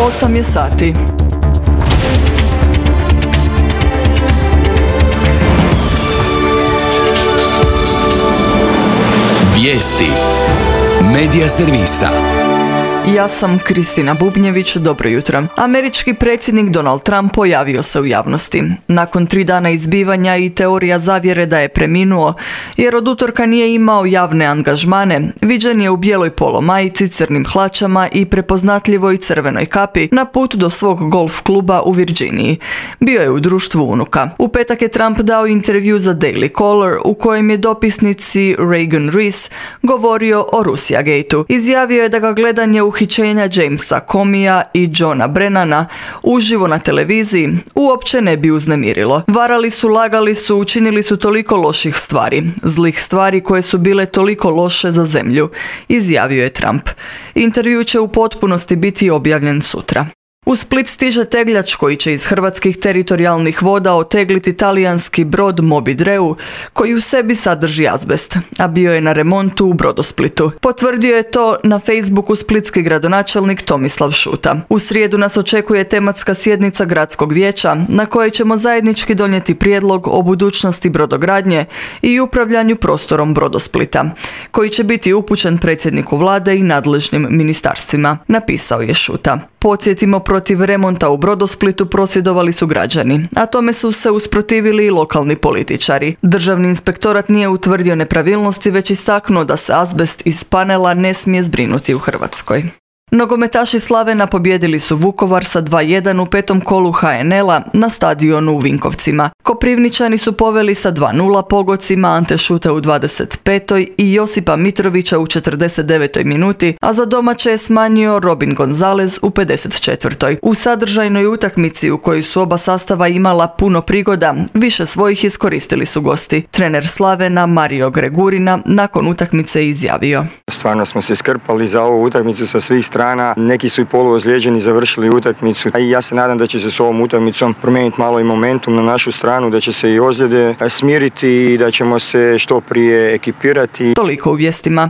8 je sati. Vijesti Medija servisa. Ja sam Kristina Bubnjević, dobro jutro. Američki predsjednik Donald Trump pojavio se u javnosti. Nakon 3 dana izbivanja i teorija zavjere da je preminuo, jer od utorka nije imao javne angažmane, viđen je u bijeloj polo majici, crnim hlačama i prepoznatljivoj crvenoj kapi na put do svog golf kluba u Virginiji. Bio je u društvu unuka. U petak je Trump dao intervju za Daily Caller u kojem je dopisnici Reagan Reese govorio o Russiagate-u. Izjavio je da ga gledanje uhićenja Jamesa Comeyja i Johna Brennana uživo na televiziji uopće ne bi uznemirilo. Varali su, lagali su, učinili su toliko loših stvari, zlih stvari koje su bile toliko loše za zemlju, izjavio je Trump. Intervju će u potpunosti biti objavljen sutra. U Split stiže tegljač koji će iz hrvatskih teritorijalnih voda otegliti talijanski brod Moby Dreu koji u sebi sadrži azbest, a bio je na remontu u Brodosplitu. Potvrdio je to na Facebooku splitski gradonačelnik Tomislav Šuta. U srijedu nas očekuje tematska sjednica gradskog vijeća na kojoj ćemo zajednički donijeti prijedlog o budućnosti brodogradnje i upravljanju prostorom Brodosplita, koji će biti upućen predsjedniku vlade i nadležnim ministarstvima, napisao je Šuta. Podsjetimo, protiv remonta u Brodosplitu prosvjedovali su građani, a tome su se usprotivili i lokalni političari. Državni inspektorat nije utvrdio nepravilnosti, već istaknuo da se azbest iz panela ne smije zbrinuti u Hrvatskoj. Nogometaši Slavena pobijedili su Vukovar sa 2:1 u petom kolu HNL-a na stadionu u Vinkovcima. Koprivničani su poveli sa 2:0 pogodcima Ante Šute u 25. i Josipa Mitrovića u 49. minuti, a za domaće je smanjio Robin Gonzalez u 54. U sadržajnoj utakmici u kojoj su oba sastava imala puno prigoda, više svojih iskoristili su gosti. Trener Slavena Mario Gregurina nakon utakmice izjavio: Stvarno smo se skrpali za ovu utakmicu sa svih strana. Neki su i poluozlijeđeni završili utakmicu. I ja se nadam da će se s ovom utakmicom promijeniti malo i momentum na našu stranu, da će se i ozljede smiriti i da ćemo se što prije ekipirati. Toliko u vijestima.